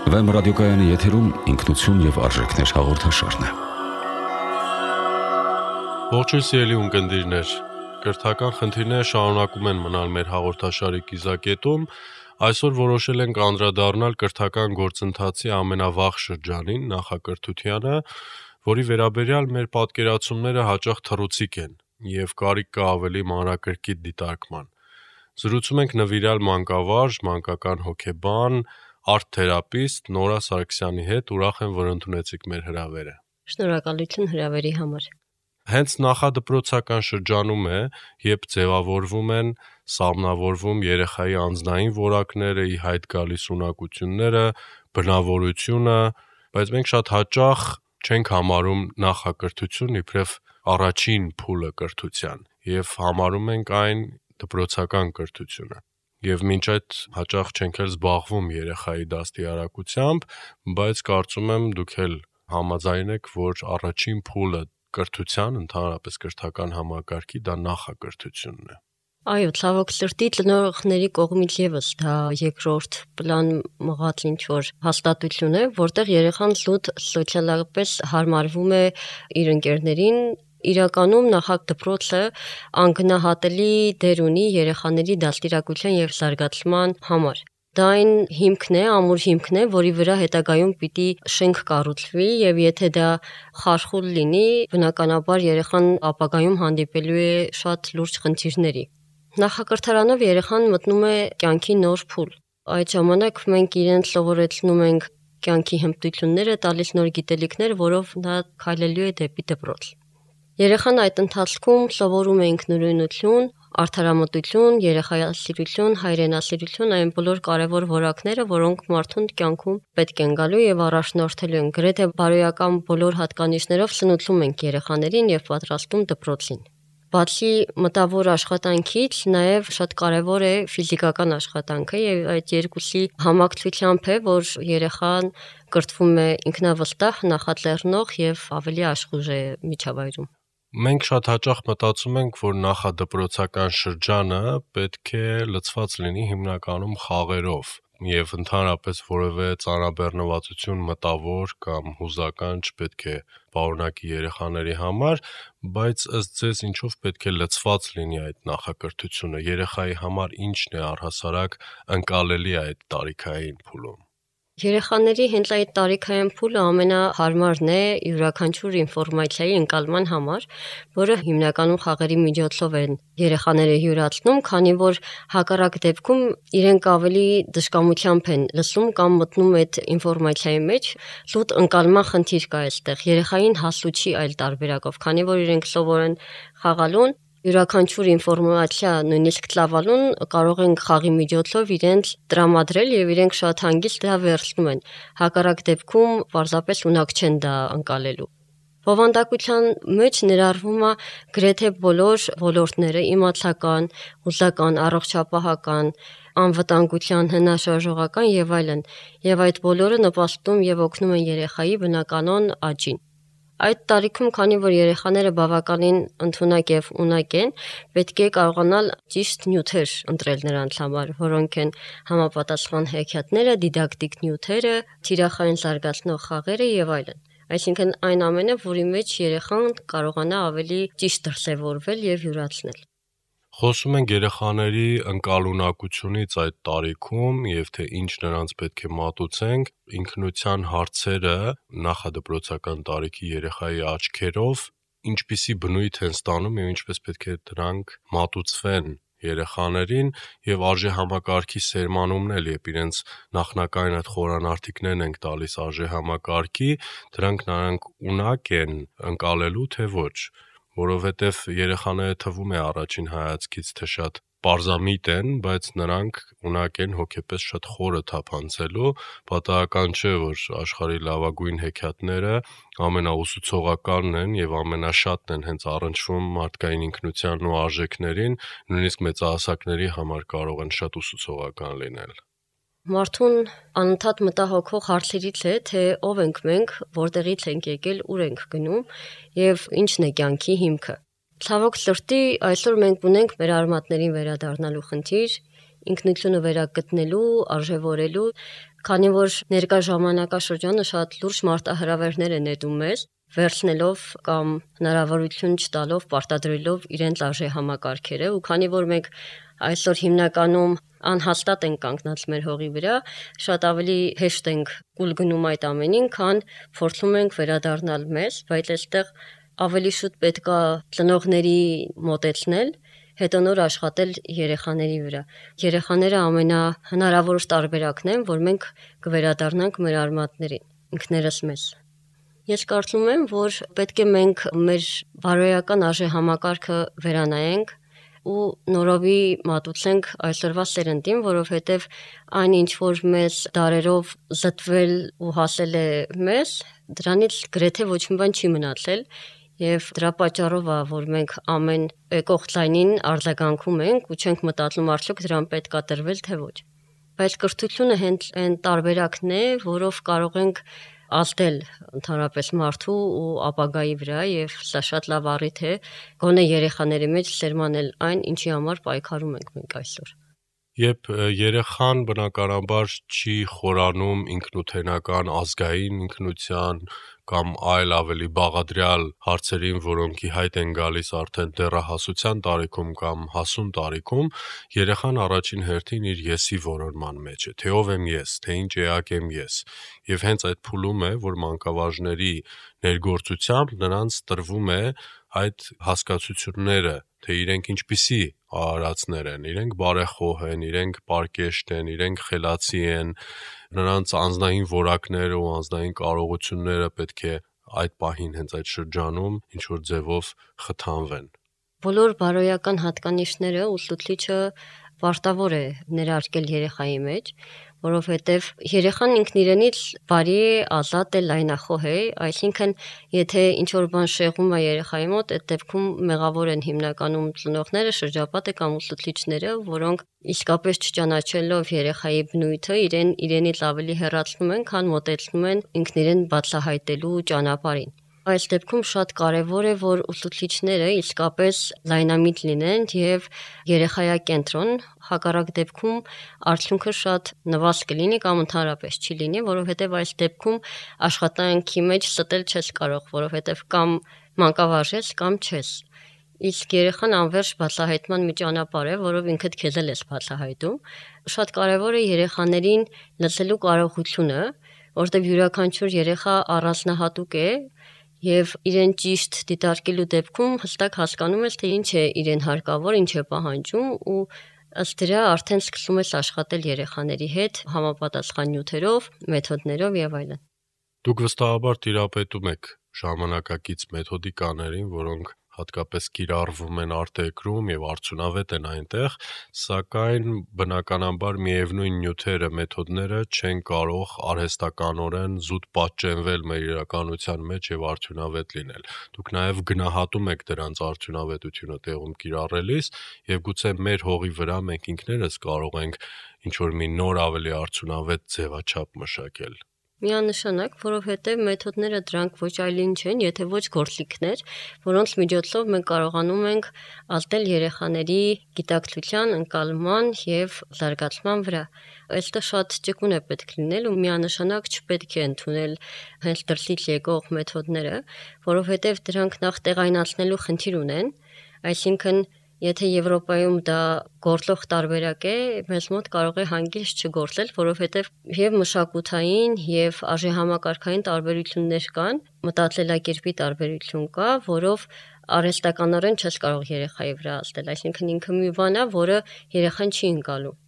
Վեմ ռադիոկայանի եթերում ինքնություն եւ արժեքներ հաղորդաշարն է։ Ողջույն սիրելի ունկնդիրներ, կրթական խնդիրները շարունակում են մնալ մեր հաղորդաշարի կիզակետում։ Այսօր որոշել ենք անդրադառնալ կրթական գործընթացի ամենավաղ շրջանին, նախակրթությանը, որի վերաբերյալ մեր պատկերացումները հաճախ թռուցիկ են եւ կարիք կա ավելի մանրակրկիտ դիտարկման։ Զրուցում ենք նվիրյալ մանկավարժ, մանկական հոգեբան, արտ-թերապիստ Նորա Սարգսյանի հետ, ուրախ եմ, որ ընդունեցիք մեր հրավերը։ Շնորհակալություն հրավերի համար։ Հենց նախադպրոցական շրջանում է, երբ ձևավորվում են, սահմանավորվում երեխայի անձնային որակները, ի հայտ գալիս ունակությունները, բնավորությունը, բայց մենք շատ հաճախ չենք համարում նախակրթություն իբրև առաջին փուլը կրթության եւ համարում ենք այն դպրոցական կրթությունը։ Եվ մինչ այդ հաճախ չենք էլ զբաղվում երեխայի դաստիարակությամբ, բայց կարծում եմ դուք էլ համաձայն եք, որ առաջին փուլը կրթության, ընդհանրապես կրթական համակարգի դա նախակրթությունն է։ Այո, ցավոք սրտի ծնողների կողմից եւս դա երկրորդ պլան մղած ինչ-որ հաստատություն է, որտեղ երեխան զուտ սոցիալապես հարմարվում է իր ընկերներին։ Իրականում նախադպրոցը անգնահատելի դեր ունի երեխաների դաստիարակության եւ զարգացման համար։ Դա այն հիմքն է, ամուր հիմքն է, որի վրա հետագայում պիտի շենք կառուցվի եւ եթե դա խարխուլ լինի, բնականաբար երեխան ապագայում հանդիպելու է շատ լուրջ խնդիրների։ Նախակրթարանով երեխան մտնում է կյանքի նոր փուլ։ Այդ ժամանակ մենք իրեն սովորեցնում ենք կյանքի հմտությունները, տալիս նոր գիտելիքներ, որով նա քայլելու է դեպի դպրոց։ Երեխան այդ ընթացքում սովորում է ինքնուրույնություն, արդարամտություն, երեխայասիրություն, հայրենասիրություն, այն բոլոր կարևոր որակները, որոնք մարդուն կյանքում պետք են գալու եւ առաջնորդելու են։ Գրեթե բարոյական բոլոր հատկանիշներով սնուցում ենք երեխաներին եւ պատրաստում դպրոցին։ Բացի մտավոր աշխատանքից, նաև շատ կարևոր է ֆիզիկական աշխատանքը եւ այդ երկուսի համակցությամբ է, որ երեխան կրթվում է ինքնավստահ, նախաձեռնող եւ ավելի աշխույժ է միջավայրում։ Մենք շատ հաճախ մտածում ենք, որ նախադպրոցական շրջանը պետք է լցված լինի հիմնականում խաղերով եւ ընդհանրապես որևէ ծանրաբեռնվածություն մտավոր կամ հուզական չպետք է պարունակի երեխաների համար, բայց ըստ ձեզ ինչով պետք է լցված լինի այդ նախակրթությունը, երեխայի համար ինչն է առհասարակ ընկալելի այդ տարիքային փուլում։ Երեխաների հենց այդ տարիքային փուլը ամենահարմարն է յուրաքանչյուր ինֆորմացիայի ընկալման համար, որը հիմնականում խաղերի միջոցով են երեխաները յուրացնում, քանի որ հակառակ դեպքում իրենք ավելի դժկամությամբ են լսում կամ մտնում այդ ինֆորմացիայի մեջ, զուտ ընկալման խնդիր կա այստեղ։ Երեխային հասու չի այլ տարբերակով, քանի որ իրենք սովոր են խաղալուն, յուրաքանչյուր ինֆորմացիա, նույնիսկ ծավալուն կարող են խաղի միջոցով իրենց տրամադրել եւ իրենք շատ հանգիստ դա վերցնում են։ Հակառակ դեպքում պարզապես ունակ չեն դա ընկալելու։ Բովանդակության մեջ ներառվում է գրեթե բոլոր ոլորտները՝ իմացական, հուզական, առողջապահական, անվտանգության, հնաշարժողական եւ այլն, եւ այդ բոլորը նպաստում եւ օգնում են երեխայի բնականon աճին։ Այդ տարիքում, քանի որ երեխաները բավականին ընդունակ եւ ունակ են, պետք է կարողանալ ճիշտ նյութեր ընտրել նրանց համար, որոնք են համապատասխան հեքիաթները, դիդակտիկ նյութերը, թիրախային զարգացնող խաղերը եւ այլն։ Այսինքն այն ամենը, որի մեջ երեխան կարողանա ավելի ճիշտ դրսևորվել եւ յուրացնել։ Խոսում ենք երեխաների ընկալունակությունից այդ տարիքում եւ թե ինչ նրանց պետք է մատուցենք, ինքնության հարցերը նախադպրոցական տարիքի երեխայի աչքերով ինչպիսի բնույթ են ստանում եւ ինչպես պետք է դրանք մատուցվեն երեխաներին եւ արժե համակարգի սերմանումն էլ, երբ իրենց նախնական այդ խորանարդիկներն ենք տալիս արժե համակարգի, դրանք նրանք ունակ են ընկալելու թե ոչ, որովհետեւ երեխաները թվում է առաջին հայացքից թե շատ պարզամիտ են, բայց նրանք ունակ են հոգեպես շատ խորը թափանցելու, պատահական չէ, որ աշխարհի լավագույն հեքիաթները ամենաուսուցողականն են եւ ամենաշատն են հենց առնչվում մարդկային ինքնությանն ու արժեքներին, նույնիսկ մեծահասակների համար կարող են շատ ուսուցողական լինել։ Մարդուն անընդհատ մտահոգող հարցերից է, թե ով ենք մենք, որտեղից ենք եկել, ուր ենք գնում եւ ինչն է կյանքի հիմքը։ Ցավոք սրտի այսօր մենք ունենք մեր արմատներին վերադառնալու խնդիր, ինքնությունը վերագտնելու, արժևորելու, քանի որ ներկա ժամանակաշրջանը շատ լուրջ մարտահրավերներ է նետում մեզ, վերցնելով կամ հնարավորություն չտալով, պարտադրելով իրենց արժե համակարգերը, ու քանի որ մենք այսօր հիմնականում անհաստատ ենք կանգնած մեր հողի վրա, շատ ավելի հեշտ ենք կուլ գնում այդ ամենին, քան փորձում ենք վերադառնալ մեզ, բայց այստեղ ավելի շուտ պետք է ծնողների մոտեցնել, հետո նոր աշխատել երեխաների վրա։ Երեխաները ամենահնարավոր տարբերակն են, որ մենք կվերադառնանք մեր արմատներին, ինքներս մեզ։ Ես կարծում եմ, որ պետք է մենք մեր բարոյական արժե համակարգը վերանայենք ու նորովի մատուցենք այսօրվա սերնդին, որովհետև այն ինչ որ մեզ դարերով զտվել ու հասել է մեզ, դրանից գրեթե ոչ մի բան չի մնացել, եւ դրա պատճառով է, որ մենք ամեն եկող ձայնին արձագանքում ենք ու չենք մտածում արդյոք դրան պետք է տրվել թե ոչ։ Բայց կրթությունը հենց այն տարբերակն է, որով կարող ենք ազդել ընդհանրապես մարդու ու ապագայի վրա, եւ սա շատ լավ առիթ է գոնե երեխաների մեջ սերմանել այն, ինչի համար պայքարում ենք մենք այսօր։ Երբ երեխան բնականաբար չի խորանում ինքնութենական ազգային ինքնության կամ այլ ավելի բաղադրյալ հարցերին, որոնք ի հայտ են գալիս արդեն դեռահասության տարիքում կամ հասուն տարիքում, երեխան առաջին հերթին իր եսի որոնման մեջ է, թե ով եմ ես, թե ինչ էակ եմ ես, եւ հենց այդ փուլում է, որ մանկավարժների ներգործությամբ նրանց տրվում է այդ հասկացությունները, թե իրենք ինչպիսի արարածներ են, իրենք բարեխոհ են, իրենք պարկեշտ են, իրենք խելացի են, նրանց անձնային որակները ու անձնային կարողությունները պետք է այդ պահին հենց այդ շրջանում ինչ-որ ձևով խթանվեն։ Բոլոր բարոյական հատկանիշները ուսուցիչը պարտավոր է ներարկել երեխայի մեջ, որովհետև երեխան ինքն իրենից բարի է, ազատ է, լայնախոհ է, այսինքն եթե ինչ-որ բան շեղում է երեխայի մոտ, այդ դեպքում մեղավոր են հիմնականում ծնողները, շրջապատը կամ ուսուցիչները, որոնք իսկապես չճանաչելով երեխայի բնույթը, իրենից ավելի հեռացնում են, քան մոտեցնում են ինքն իրեն բացահայտելու ճանապարհին։ Այս դեպքում շատ կարևոր է, որ ուսուցիչները իսկապես լայնամիտ լինեն եւ երեխայակենտրոն, հակառակ դեպքում արդյունքը շատ նվազ կլինի կամ ընդհանրապես չի լինի, որովհետեւ այս դեպքում աշխատանքի մեջ ստել չես կարող, որովհետեւ կամ մանկավարժ ես կամ չես։ Իսկ երեխան անվերջ բացահայտման մի ճանապարհ է, որով ինքդ քեզ ես բացահայտում։ Շատ կարևոր է երեխաներին լսելու կարողությունը, որտեղ յուրաքանչյուր երեխա առանձնահատուկ է եւ իրեն ճիշտ դիտարկելու դեպքում հստակ հասկանում ես, թե ինչ է իրեն հարկավոր, ինչ է պահանջում ու ըստ դրա արդեն սկսում ես աշխատել երեխաների հետ համապատասխան նյութերով, մեթոդներով եւ այլն։ Դուք վստահաբար տիրապետում եք ժամանակակից մեթոդիկաներին, որոնք հատկապես կիրառվում են արտերկրում եւ արդյունավետ են այնտեղ, սակայն բնականաբար միևնույն նյութերը, մեթոդները չեն կարող արհեստականորեն զուտ պատճենվել մեր իրականության մեջ եւ արդյունավետ լինել։ Դուք նաեւ գնահատում եք դրանց արդյունավետությունը տեղում կիրառելիս եւ գուցե մեր հողի վրա մենք ինքներս կարող ենք ինչ-որ մի նոր ավելի արդյունավետ ձևաչափ մշակել։ Միանշանակ, որովհետև մեթոդները դրանք ոչ այլ ինչ են, եթե ոչ գործիքներ, որոնց միջոցով մենք կարողանում ենք ազդել երեխաների գիտակցության, ընկալման եւ զարգացման վրա։ Այստեղ շատ ճկուն է պետք լինել ու միանշանակ չպետք է ընդունել հենց դրսից եկող մեթոդները, որովհետև դրանք նախ տեղայնացնելու խնդիր ունեն, այսինքն եթե Եվրոպայում դա գործող տարբերակ է, մեզ մոտ կարող է հանգիստ չգործել, որովհետև եւ մշակութային եւ արժեհամակարգային տարբերություններ կան, մտածելակերպի տարբերություն կա, որով արհեստականորեն չես կարող երեխայի վրա ազդել, այսինքն ինքը մի բան է, որը երեխան չի ընկալում։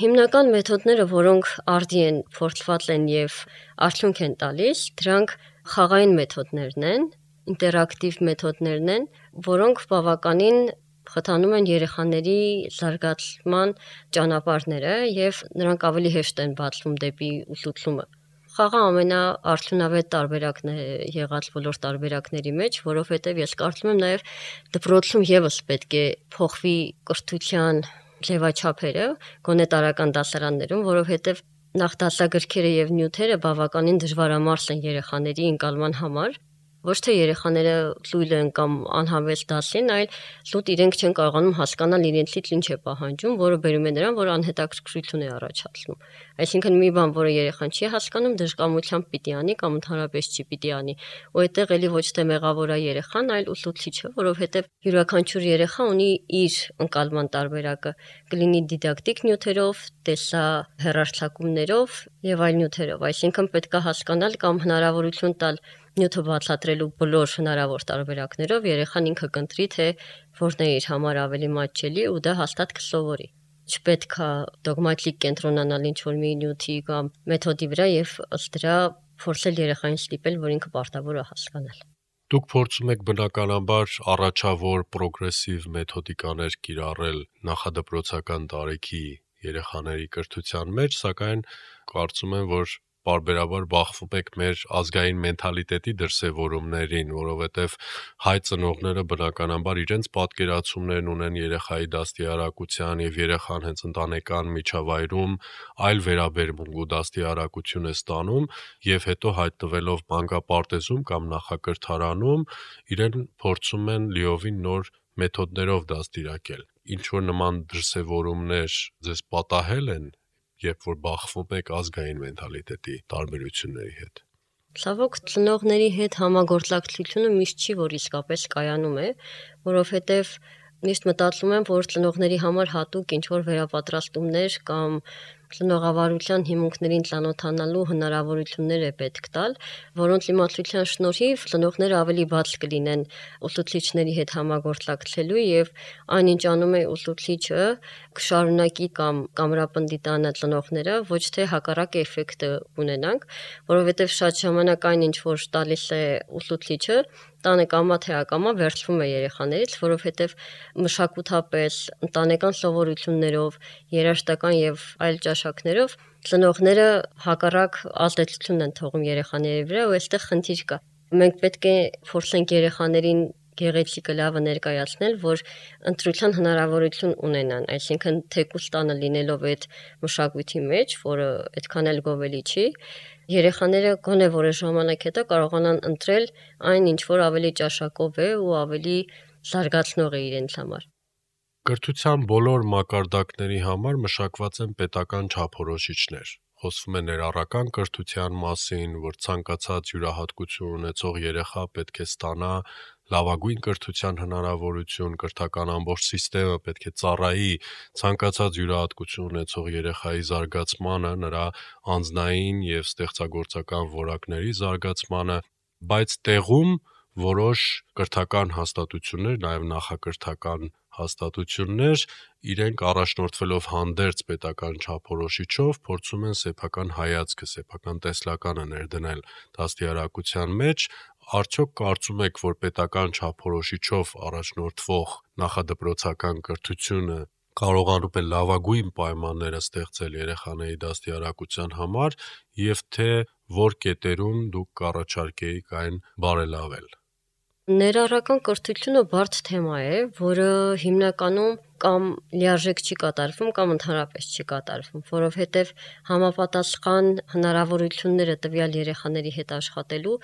Հիմնական մեթոդները, որոնք արդի են փորձված են եւ արդյունք են տալիս, դրանք խաղային մեթոդներն են, ինտերակտիվ մեթոդներն են, որոնք բավականին խթանում են երեխաների զարգացման ճանապարհները եւ նրանք ավելի հեշտ են բացվում դեպի ուսուցումը։ Խաղը ամենաարդյունավետ տարբերակն է եղած բոլոր տարբերակների մեջ, որովհետեւ ես կարծում եմ նաեւ դպրոցում եւս պետք է փոխվի կրթության ձևաչափերը, գոնե տարական դասարաններում, որովհետեւ նախ դասագրքերը եւ նյութերը բավականին դժվարամարս են երեխաների ընկալման համար։ ոչ թե երեխաները լույլ են կամ անհավես դասին, այլ լուտ իրենք չեն կարողանում հասկանալ իրենցից ինչ է պահանջում, որը բերում է նրան, որ անհետաքրքրություն է առաջացնում։ Այսինքն մի բան, որը երեխան չի հասկանում, դժկամությամբ պիտի անի կամ ընդհանրապես չի պիտի անի։ Ու այդտեղ էլի ոչ թե մեղավոր է երեխան, այլ ուսուցիչը, որովհետև յուրաքանչյուր երեխա ունի իր ընկալման տարբերակը, կլինի դիդակտիկ նյութերով, տեսահեռարձակումներով եւ այլ նյութերով։ Այսինքն պետք է հասկանալ կամ հնարավորություն տալ նյութը բացատրելու բոլոր հնարավոր տարբերակներով երեխան ինքը կընտրի, թե որն է իր համար ավելի մատչելի ու դա հաստատ կսովորի։ Չպետք է դոգմատիկ կենտրոնանալ ինչ-որ մի նյութի կամ մեթոդի վրա եւ ըստ դրա փորձել երեխային ստիպել, որ ինքը պարտավոր է հասկանալ։ Դուք փորձում եք բնականաբար առաջավոր պրոգրեսիվ մեթոդիկաներ կիրառել նախադպրոցական տարիքի երեխաների կրթության մեջ, սակայն կարծում եմ, որ պարբերաբար բախվում եք մեր ազգային մենթալիտետի դրսևորումներին, որովհետև հայ ծնողները բնականաբար իրենց պատկերացումներն ունեն երեխայի դաստիարակության եւ երեխան հենց ընտանեկան միջավայրում այլ վերաբերմունք ու դաստիարակություն է ստանում եւ հետո հայտնվելով մանկապարտեզում կամ նախակրթարանում իրեն փորձում են լիովին նոր մեթոդներով դաստիարակել։ Ինչ որ նման դրսևորումներ ձեզ պատահել են, երբ որ բախվում եք ազգային մենթալիտետի տարբերությունների հետ։ Ցավոք ծնողների հետ համագործակցությունը միշտ չի, որ իսկապես կայանում է, որովհետև միշտ մտածում եմ, որ ծնողների համար հատուկ ինչ-որ վերապատրաստումներ կամ ծնողավարության հիմունքներին ծանոթանալու հնարավորություններ է պետք տալ, որոնց իմացության շնորհիվ ծնողները ավելի բաց կլինեն ուսուցիչների հետ համագործակցելու եւ այնինչ անում է ուսուցիչը կշարունակի կամ կամրապնդիտանը ծնողները, ոչ թե հակառակ էֆեկտը ունենանք, որովհետեւ շատ ժամանակ այնինչ որ տալիս է ուսուցիչը տանը կամա թե ակամա վերցվում է երեխաներից, որովհետև մշակութապես, ընտանեկան սովորություններով, երաժշտական եւ այլ ճաշակներով ծնողները հակառակ ազդեցություն են թողում երեխաների վրա ու այստեղ խնդիր կա։ Մենք պետք է փորձենք երեխաներին գեղեցիկը լավը ներկայացնել, որ ընտրության հնարավորություն ունենան, այսինքն թեկուզ տանը լինելով այդ մշակույթի մեջ, որը այդքան էլ գովելի չի, երեխաները գոնե որոշ ժամանակ հետո կարողանան ընտրել այն, ինչ որ ավելի ճաշակով է ու ավելի զարգացնող է իրենց համար։ Կրթության բոլոր մակարդակների համար մշակված են պետական չափորոշիչներ։ Խոսվում է ներառական կրթության մասին, որ ցանկացած յուրահատկություն ունեցող երեխա պետք է ստանա լավագույն կրթության հնարավորություն, կրթական ամբողջ համակարգը պետք է ծառայի ցանկացած յուրահատկություն ունեցող երեխայի զարգացմանը, նրա անձնային եւ ստեղծագործական որակների զարգացմանը, բայց տեղում որոշ կրթական հաստատություններ, նաեւ նախակրթական հաստատություններ իրենք առաջնորդվելով հանդերձ պետական չափորոշիչով փորձում են սեփական հայացքը, սեփական տեսլականը ներդնել դաստիարակության մեջ, արդյոք կարծում եք, որ պետական չափորոշիչով առաջնորդվող նախադպրոցական կրթությունը կարողանում է լավագույն պայմանները ստեղծել երեխաների դաստիարակության համար եւ թե որ կետերում դուք կառաջարկեիք այն բարելավել։ Ներառական կրթությունը բարդ թեմա է, որը հիմնականում կամ լիարժեք չի կատարվում կամ ընդհանրապես չի կատարվում, որովհետև համապատասխան հնարավորությունները տվյալ երեխաների հետ աշխատելու,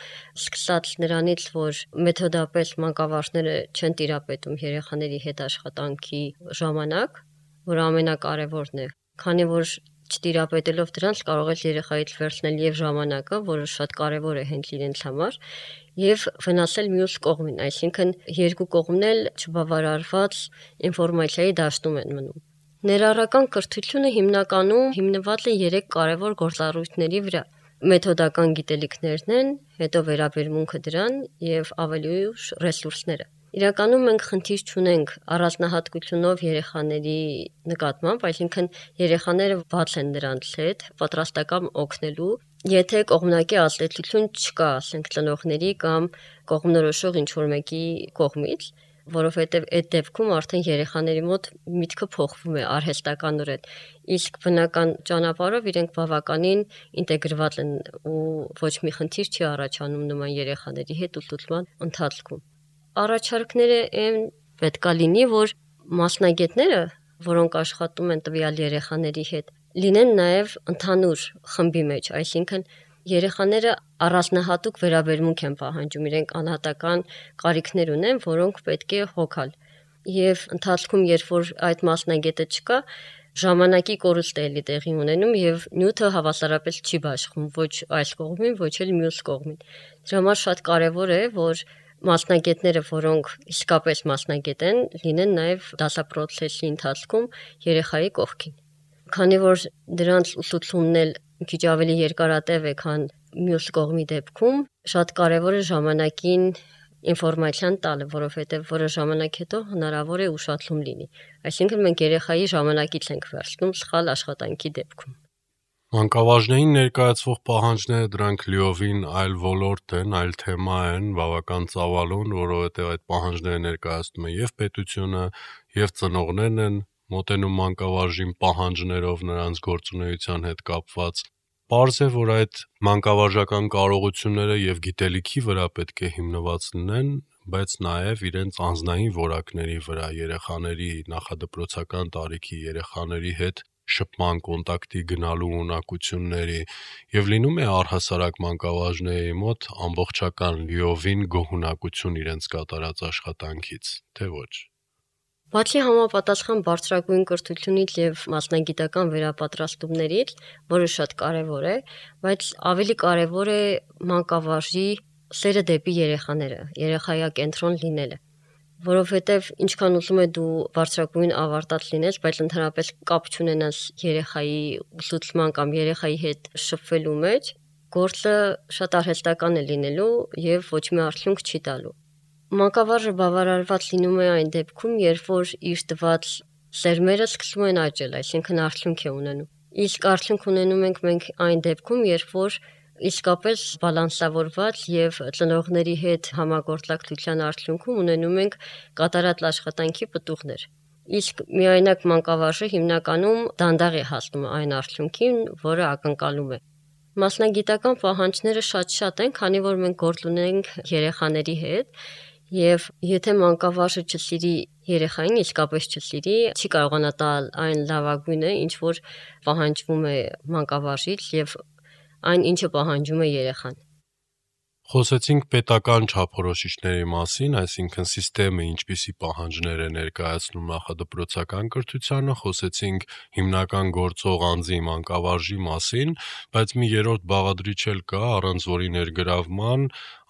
սկսած նրանից, որ մեթոդապես մանկավարժները չեն տիրապետում երեխաների հետ աշխատանքի ժամանակ, որ ամենակարևորն է, քանի որ չտիրապետելով դրանց կարող է երեխայից վերցնել եւ ժամանակը, որը շատ կարևոր է հենց իրենց համար, եւ վնասել մյուս կողմին, այսինքն երկու կողմն էլ չբավարարված ինֆորմացիայի դաշտում են մնում։ Ներառական կրթությունը հիմնականում հիմնված է 3 կարևոր գործառույթների վրա։ Մեթոդական գիտելիքներն են, հետո վերաբերմունքը դրան եւ ավելի ուշ ռեսուրսները։ Իրականում մենք խնդիր չունենք առանձնահատկությունով երեխաների նկատմամբ, այսինքն երեխաները բաց են դրանց հետ, պատրաստական օգնելու, եթե կողմնակի ազդեցություն չկա, ասենք ծնողների կամ կողմնորոշող ինչ-որ մեկի կողմից, որովհետև այդ դեպքում արդեն երեխաների մոտ միտքը փոխվում է արհեստականորեն, իսկ բնական ճանապարհով իրենք բավականին ինտեգրված են ու ոչ մի խնդիր չի առաջանում նման երեխաների հետ ուսուցման ընթացքում։ Առաջարկները այն պետքա լինի, որ մասնագետները, որոնք աշխատում են տվյալ երեխաների հետ, լինեն նաև ընդհանուր խմբի մեջ, այսինքն երեխաները առանձնահատուկ վերաբերմունք են պահանջում, իրենք անհատական կարիքներ ունեն, որոնք պետք է հոգալ։ Եվ ընթացքում, երբ որ այդ մասնագետը չկա, ժամանակի կորուստ է էլի տեղի ունենում եւ նյութը հավասարապես չի բաշխում ոչ այս կողմին, ոչ էլ մյուս կողմին։ Դրա համար շատ կարեւոր է, որ մասնագետները, որոնք իսկապես մասնագետ են, լինեն նաեւ դասապրոցեսի ընթացքում երեխայի կողքին։ Քանի որ դրանց ուսուցումն էլ քիչ ավելի երկարատև է, քան մյուս կողմի դեպքում, շատ կարեւոր է ժամանակին ինֆորմացիան տալը, որովհետև որը ժամանակ հետո հնարավոր է ուշացում լինի։ Այսինքն մենք երեխայի ժամանակից ենք վերցնում սխալ աշխատանքի դեպքում։ Մանկավարժներին ներկայացվող պահանջները դրանք լիովին այլ ոլորտ են, այլ թեմա են, բավական ծավալուն, որովհետև այդ պահանջները ներկայացնում է եւ պետությունը, եւ ծնողներն են մոտենում մանկավարժին պահանջներով նրանց գործունեության հետ կապված։ Պարզ է, որ այդ մանկավարժական կարողությունները եւ գիտելիքի վրա պետք է հիմնված լինեն, բայց նաեւ իրենց անձնային որակների վրա, երեխաների նախադպրոցական տարիքի երեխաների հետ շփման կոնտակտի գնալու ունակությունների եւ լինում է առհասարակ մանկավարժների մոտ ամբողջական լիովին գոհունակություն իրենց կատարած աշխատանքից, թե ոչ։ Բացի համապատասխան բարձրագույն կրթությունից եւ մասնագիտական վերապատրաստումներից, որը շատ կարեւոր է, բայց ավելի կարեւոր է մանկավարժի սերը դեպի երեխաները, երեխայակենտրոն լինելը, որովհետեւ ինչքան ուզում է դու բարձրագույն ավարտած լինես, բայց ընդհանրապես կապ չունենաս երեխայի ուսուցման կամ երեխայի հետ շփվելու մեջ, գործը շատ արհեստական է լինելու եւ ոչ մի արդյունք չի տալու։ Մանկավարժը բավարարված լինում է այն դեպքում, երբ որ իր տված սերմերը սկսում են աճել, այսինքն արդյունք է ունենում։ Իսկ արդյունք ունենում ենք մենք այն դեպքում, երբ որ իսկապես բալանսավորված եւ ծնողների հետ համագործակցության արդյունքում ունենում ենք կատարած աշխատանքի պտուղներ։ Իսկ միայնակ մանկավարժը հիմնականում դանդաղ է հասնում այն արդյունքին, որը ակնկալում է։ Մասնագիտական պահանջները շատ են, քանի որ մենք գործ ունենք երեխաների հետ, եւ եթե մանկավարժը չսիրի երեխային, իսկապես չսիրի, չի կարողանա տալ այն լավագույնը, ինչ որ պահանջվում է մանկավարժից եւ այն, ինչը պահանջում է երեխան։ Խոսեցինք պետական չափորոշիչների մասին, այսինքն համակարգը ինչպիսի պահանջներ է ներկայացնում նախադպրոցական կրթությանը, խոսեցինք հիմնական գործող անձի մանկավարժի մասին, բայց մի երրորդ բաղադրիչ էլ կա, առանց որի ներգրավման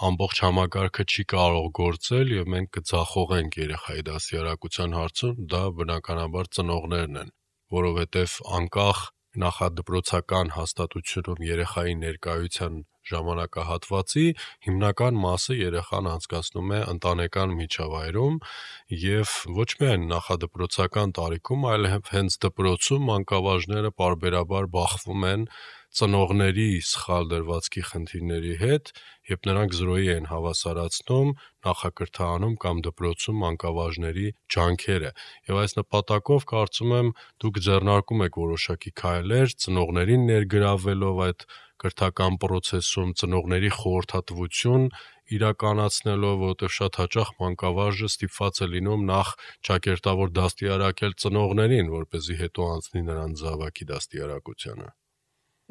ամբողջ համակարգը չի կարող գործել եւ մենք կձախողենք երեխայի դաստիարակության հարցում, դա բնականաբար ծնողներն են, որովհետեւ անկախ նախադպրոցական հաստատությունում երեխայի ներկայության ժամանակահատվածի հիմնական մասը երեխան անցկացնում է ընտանեկան միջավայրում եւ ոչ միայն նախադպրոցական տարիքում, այլ հենց դպրոցում մանկավարժները պարբերաբար բախվում են ծնողների սխալ դրվածքի խնդիրների հետ, երբ նրանք զրոյի են հավասարացնում նախակրթարանում կամ դպրոցում մանկավարժների ջանքերը։ Եվ այս նպատակով կարծում եմ դուք ձեռնարկում եք որոշակի քայլեր ծնողներին ներգրավելով այդ կրթական process-ում, ծնողների խորհրդատվություն իրականացնելով, որովհետև շատ հաճախ մանկավարժը ստիպված է լինում նախ ճակերտավոր դաստիարակել ծնողներին, որպեսզի հետո անցնի նրանց զավակի դաստիարակությանը։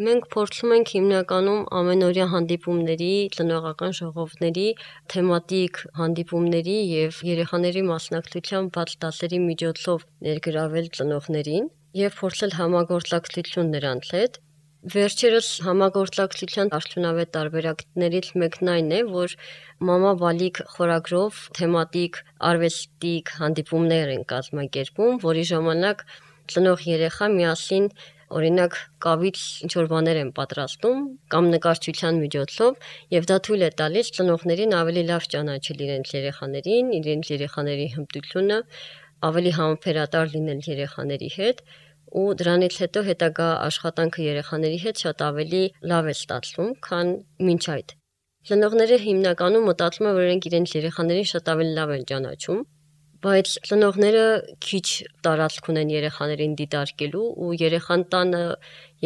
Մենք փորձում ենք հիմնականում ամենօրյա հանդիպումների, ծնողական ժողովների, թեմատիկ հանդիպումների եւ երեխաների մասնակցության բաց դասերի միջոցով ներգրավել ծնողներին եւ փորձել համագործակցություն նրանց հետ։ Վերջերս համագործակցության արդյունավետ տարբերակներից մեկն այն է, որ մամա բալիկ խորագրով թեմատիկ արվեստիկ հանդիպումներ են կազմակերպում, որի ժամանակ ծնող երեխա միասին օրինակ կավից ինչ-որ բաներ են պատրաստում կամ նկարչության միջոցով եւ դա թույլ է տալիս ծնողներին ավելի լավ ճանաչել իրենց երեխաներին, իրենց երեխաների հմտությունը, ավելի համբերատար լինել երեխաների հետ ու դրանից հետո հետագա աշխատանքը երեխաների հետ շատ ավելի լավ է ստացվում, քան մինչ այդ։ Ծնողները հիմնականում մտածում են, որ իրենց երեխաներին շատ ավելի լավ են ճանաչում, բայց ծնողները քիչ տարածք ունեն երեխաներին դիտարկելու ու երեխան տանը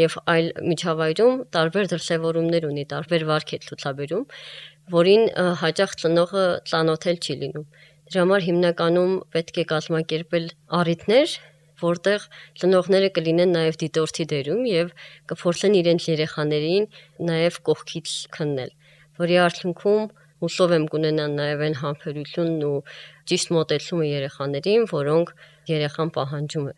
եւ այլ միջավայրում տարբեր դրսևորումներ ունի, տարբեր վարք է ցուցաբերում, որին հաճախ ծնողը ծանոթել չի լինում։ Դրա համար հիմնականում պետք է կազմակերպել առիթներ, որտեղ ծնողները կլինեն նաև դիտորդի դերում եւ կփորձեն իրենց երեխաներին նաև կողքից քննել, որի արդյունքում հուսով եմ կունենան նաև այն համբերությունն ու ճիշտ մոտեցումը երեխաներին, որոնք երեխան պահանջում է։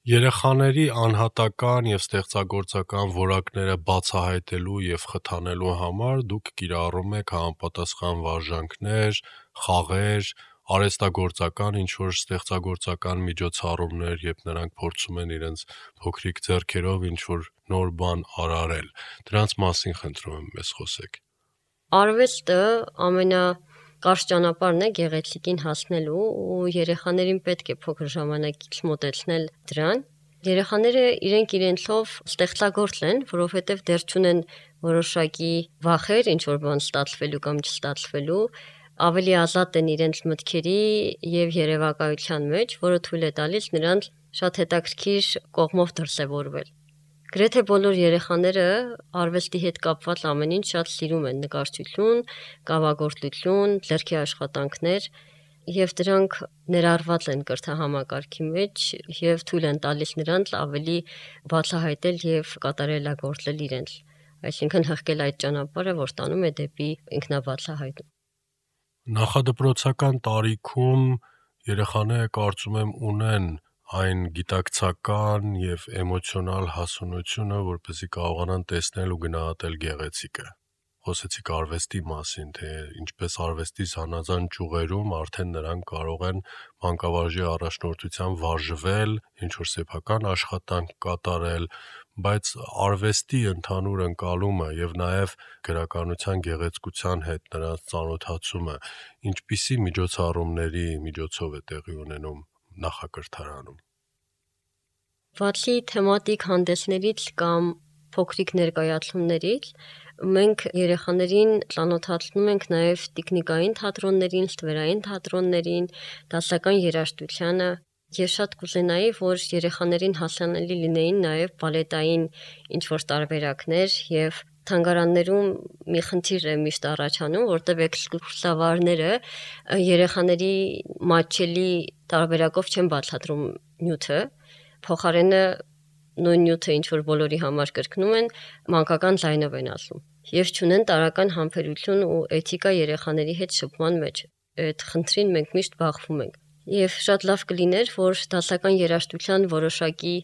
Երեխաների անհատական եւ ստեղծագործական որակները բացահայտելու եւ խթանելու համար դուք կիրառում եք համապատասխան վարժանքներ, խաղեր, արհեստագործական ինչ-որ ստեղծագործական միջոցառումներ, երբ նրանք փորձում են իրենց փոքրիկ ձեռքերով ինչ-որ նոր բան արարել։ Դրանց մասին խնդրում եմ մեզ խոսեք։ Արվեստը ամենակարճ ճանապարհն է գեղեցիկին հասնելու ու երեխաներին պետք է փոքր ժամանակից մոտեցնել դրան։ Երեխաները իրենցով ստեղծագործ են, որովհետև դեռ չունեն որոշակի վախեր, ինչ որ բան ստացվելու կամ չստացվելու, ավելի ազատ են իրենց մտքերի եւ երևակայության մեջ, որը թույլ է տալիս նրանց շատ հետաքրքիր կողմով դրսևորվել։ Գրեթե բոլոր երեխաները արվեստի հետ կապված ամեն ինչ շատ սիրում են՝ նկարչություն, կավագործություն, ձեռքի աշխատանքներ, եւ դրանք ներառված են կրթահամակարգի մեջ եւ թույլ են տալիս նրանց ավելի բացահայտել եւ կատարելագործել իրենց, այսինքն հղկել այդ ճանապարհը, որ տանում է դեպի ինքնաբացահայտում։ Նախադպրոցական տարիքում երեխաները կարծում եմ ունեն այն գիտակցական եւ էմոցիոնալ հասունությունը, որպեսզի կարողանան տեսնել ու գնահատել գեղեցիկը։ Խոսեցիք արվեստի մասին, թե ինչպես արվեստի զանազան ճյուղերում արդեն նրանք կարող են մանկավարժի առաջնորդությամբ վարժվել, ինչ-որ սեփական աշխատանք կատարել, բայց արվեստի ընդհանուր ընկալումը եւ նաեւ գրականության գեղեցկության հետ նրանց ծանոթացումը ինչպիսի միջոցառումների միջոցով է տեղի ունենում նախակրթարանում։ Բացի թեմատիկ հանդեսներից կամ փոքրիկ ներկայացումներից, մենք երեխաներին ծանոթացնում ենք նաև տեխնիկային թատրոններին, ստվերային թատրոններին, դասական երաժշտությանը։ Ես շատ կուզենայի, որ երեխաներին հասանելի լինեին նաև բալետային ինչ-որ տարբերակներ եւ թանգարաններում մի խնդիր է միշտ առաջանում, որտեղ էքսկուրսավարները երեխաների մատչելի տարբերակով չեն բացատրում նյութը, փոխարենը նույն նյութը ինչ որ բոլորի համար կրկնում են, մանկական ձայնով են ասում եւ չունեն տարական համբերություն ու էթիկա երեխաների հետ շփման մեջ։ Այդ խնդրին մենք միշտ բախվում ենք։ Եվ շատ լավ կլիներ, որ դասական երաժշտության որոշակի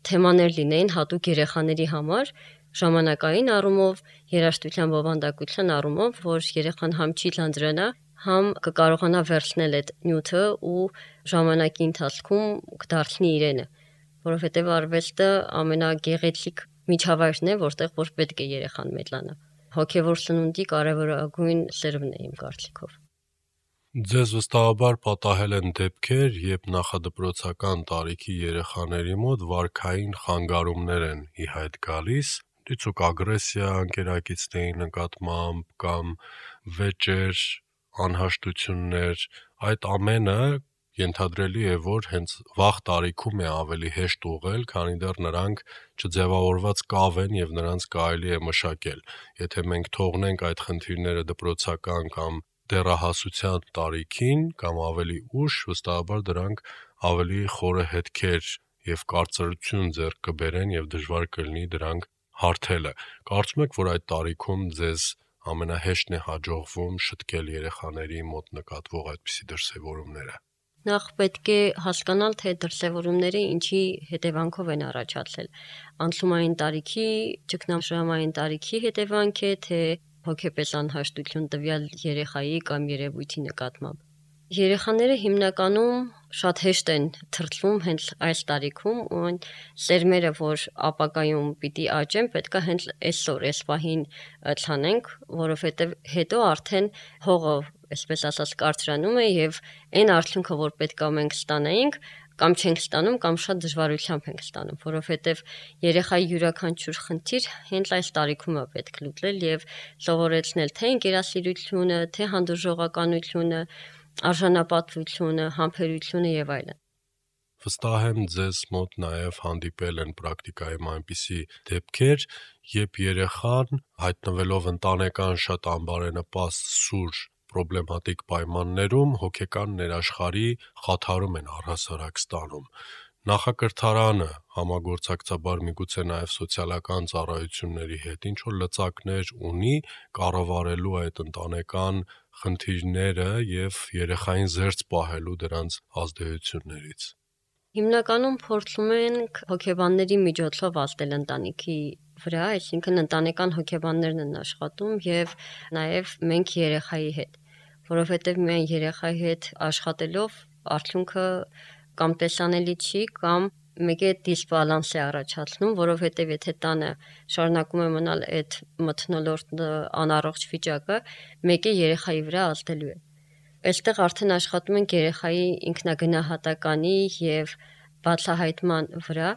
թեմաներ լինեին հատուկ երեխաների համար, ժամանակային առումով, երաժշտության բովանդակության առումով, որ երեխան համ չի ձանձրանա, համ կկարողանա վերցնել այդ նյութը ու ժամանակի ընթացքում կդարձնի իրենը, որովհետև արվեստը ամենագեղեցիկ միջավայրն է, որտեղ որ պետք է երեխան մեծանա։ Հոգևոր սնունդի կարևորագույն սերունդն է իմ կարծիքով։ Ձեզ վստահաբար պատահել են դեպքեր, երբ նախադպրոցական տարիքի երեխաների մոտ վարքային խանգարումներ են ի հայտ գալիս, դիցուկ ագրեսիա ընկերակիցների նկատմամբ կամ վեճեր, անհաշտություններ, այդ ամենը ենթադրելի է, որ հենց վաղ տարիքում է ավելի հեշտ ուղղել, քանի դեռ նրանք չձևավորված կավ են եւ նրանց կարելի է մշակել։ Եթե մենք թողնենք այդ խնդիրները դպրոցական կամ դեռահասության տարիքին կամ ավելի ուշ, վստահաբար դրանք ավելի խորը հետքեր եւ կարծրություն ձեռք կբերեն եւ դժվար կլինի դրանք հարթելը։ Կարծում եք, որ այդ տարիքում ձեզ ամենահեշտն է հաջողվում շտկել երեխաների մոտ նկատվող այդպիսի դրսևորումները։ Նախ պետք է հասկանալ, թե դրսևորումները ինչի հետևանքով են առաջացել։ Անցումային տարիքի, ճգնաժամային տարիքի հետևանք է, թե հոգեպես անհաշտություն տվյալ երեխայի կամ երևույթի նկատմամբ։ Երեխաները հիմնականում շատ հեշտ են թրծվում հենց այս տարիքում ու սերմերը, որ ապագայում պիտի աճեն, պետք է հենց այսօր, այս պահին ցանենք, որովհետև հետո արդեն հողը, այսպես ասած, կարծրանում է եւ այն արդյունքը, որ պետք է մենք ստանայինք, կամ չենք ստանում, կամ շատ դժվարությամբ ենք ստանում, որովհետև երեխայի յուրաքանչյուր խնդիր հենց այս տարիքում է պետք լուծել եւ սովորեցնել թե ինքնասիրությունը, թե հանդուրժողականությունը, արժանապատվությունը, համբերությունը եւ այլն։ Վստահ եմ ձեզ մոտ նաև հանդիպել են պրակտիկայում այնպիսի դեպքեր, երբ երեխան հայտնվելով ընտանեկան շատ անբարենպաստ սուր պրոբլեմատիկ պայմաններում հոգեկան ներաշխարհի խաթարում են առհասարակ ստանում։ Նախակրթարանը համագործակցաբար միգուցե նաև սոցիալական ծառայությունների հետ ինչ որ լծակներ ունի կառավարելու այդ ընտանեկան խնդիրները եւ երեխային զերծ պահելու դրանց ազդեցություններից։ Հիմնականում փորձում ենք հոգեբանների միջոցով ազդել ընտանիքի վրա, այսինքն ընտանեկան հոգեբաններն են աշխատում եւ նաեւ մենք երեխայի հետ, որովհետեւ միայն երեխայի հետ աշխատելով արդյունքը կամ տեսանելի չի, կամ մեկը դիսբալանս է առաջացնում, որովհետև եթե տանը շարունակում է մնալ այդ մթնոլորտ անառողջ վիճակը, մեկը երեխայի վրա ազդելու է։ Այստեղ արդեն աշխատում ենք երեխայի ինքնագնահատականի եւ բացահայտման վրա,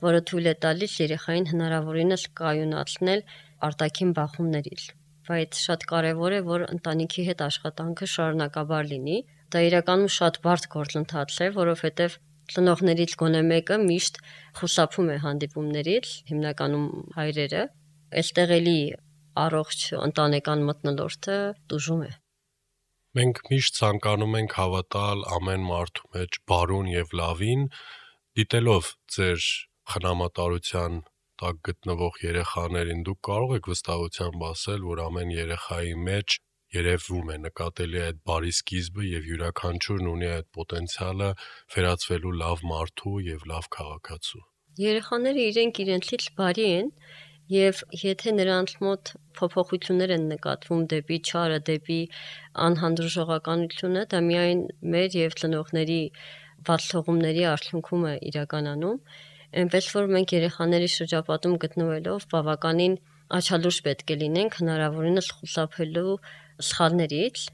որը թույլ է տալիս երեխային հնարավորինս կայունացնել արտաքին բախումներից։ Բայց շատ կարևոր է, որ ընտանիքի հետ աշխատանքը շարունակաբար լինի։ Դա իրականում շատ բարդ գործընթաց է, որովհետև ծնողներից գոնե մեկը միշտ խուսափում է հանդիպումներից, հիմնականում հայրերը, այստեղ էլի առողջ ընտանեկան մթնոլորտը տուժում է։ Մենք միշտ ցանկանում ենք հավատալ ամեն մարդու մեջ բարուն եւ լավին, դիտելով ձեր խնամատարության տակ գտնվող երեխաներին, դուք կարող եք վստահությամբ ասել, որ ամեն երեխայի մեջ երևում է, նկատելի է այդ բարի սկիզբը եւ յուրաքանչյուրն ունի այդ պոտենցիալը վերածվելու լավ մարդու եւ լավ քաղաքացու։ Երեխաները իրենցից բարի են եւ եթե նրանց մոտ փոփոխություններ են նկատվում դեպի չարը, դեպի անհանդուրժողականությունը, դա միայն մեր եւ ծնողների բաց թողումների արդյունքում է իրականանում, այնպես որ մենք երեխաների շրջապատում գտնվելով բավականին աչալուրջ պետք է լինենք հնարավորինս խուսափելու սխալներից,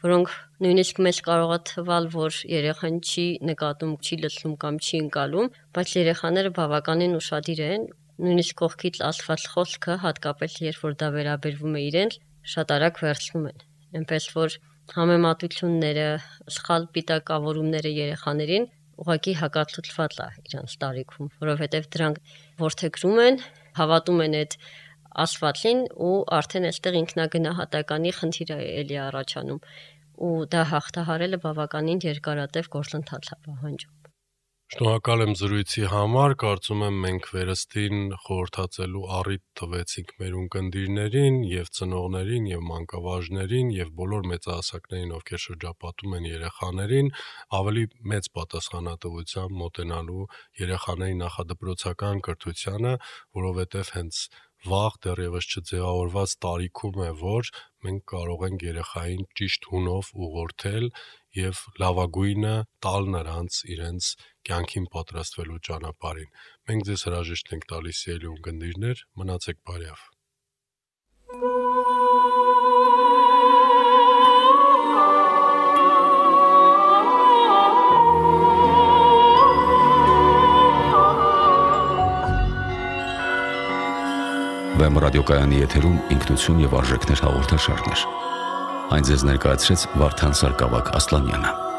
որոնք նույնիսկ մեզ կարող է թվալ, որ երեխան չի նկատում, չի լսում կամ չի ընկալում, բայց երեխաները բավականին ուշադիր են, նույնիսկ կողքից ասված խոսքը, հատկապես երբ որ դա վերաբերվում է իրենց, շատ արագ վերցնում են։ Այնպես որ համեմատությունները, սխալ պիտակավորումները երեխաներին ուղղակի հակացուցված է իրենց տարիքում, որովհետև դրանք որդեգրում են, հավատում են այդ ասվածին ու արդեն այստեղ ինքնագնահատականի խնդիր է էլի առաջանում ու դա հաղթահարելը բավականին երկարատև գործընթաց է պահանջում։ Շնորհակալ եմ զրույցի համար, կարծում եմ մենք վերստին խորհրդածելու առիթ տվեցինք մեր ունկնդիրներին եւ ծնողներին եւ մանկավարժներին եւ բոլոր մեծահասակներին, ովքեր շրջապատում են երեխաներին, ավելի մեծ պատասխանատվությամբ մոտենալու երեխաների նախադպրոցական կրթությանը, որովհետեւ հենց վաղ դեռևս չձևավորված տարիքում է, որ մենք կարող ենք երեխային ճիշտ հունով ուղղորդել եւ լավագույնը տալ նրանց իրենց կյանքին պատրաստվելու ճանապարհին։ Մենք ձեզ հրաժեշտ ենք տալիս ելի ունկնդիրներ, մնացեք բարյավ։ Վեմ ռադիոկայանի եթերում ինքնություն եւ արժեքներ հաղորդաշարներ։ Այն ձեզ ներկայացրեց Վարդան Սարգսակ Ասլանյանը։